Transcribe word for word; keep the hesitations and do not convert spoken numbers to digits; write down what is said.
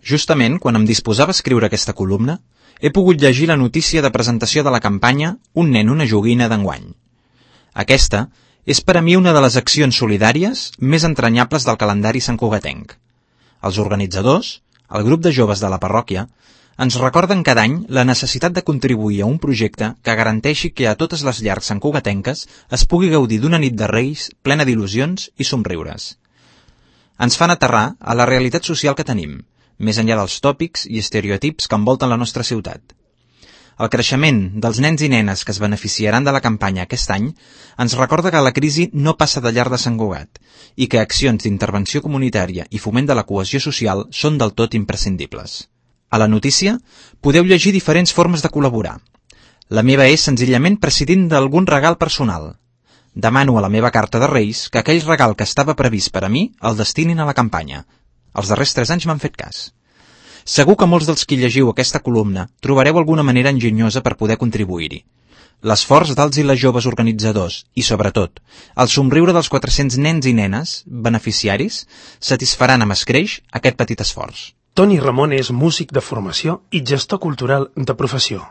Justament, quan em disposava a escriure aquesta columna, he pogut llegir la notícia de presentació de la campanya Un nen, una joguina d'enguany. Aquesta és per a mi una de les accions solidàries més entranyables del calendari santcugatenc. Els organitzadors, el grup de joves de la parròquia, ens recorden cada any la necessitat de contribuir a un projecte que garanteixi que a totes les llars santcugatenques es pugui gaudir d'una nit de Reis plena d'il·lusions i somriures. Ens fan aterrar a la realitat social que tenim, més enllà dels tòpics i estereotips que envolten la nostra ciutat. El creixement dels nens i nenes que es beneficiaran de la campanya aquest any ens recorda que la crisi no passa de llar de Sant Cugat i que accions d'intervenció comunitària i foment de la cohesió social són del tot imprescindibles. A la notícia podeu llegir diferents formes de col·laborar. La meva és senzillament prescindint d'algun regal personal. Demano a la meva carta de Reis que aquell regal que estava previst per a mi el destinin a la campanya. Els darrers tres anys m'han fet cas. Segur que molts dels qui llegiu aquesta columna trobareu alguna manera enginyosa per poder contribuir-hi. L'esforç dels i les joves organitzadors i, sobretot, el somriure dels quatre-cents nens i nenes, beneficiaris, satisfaran amb escreix aquest petit esforç. Toni Ramon és músic de formació i gestor cultural de professió.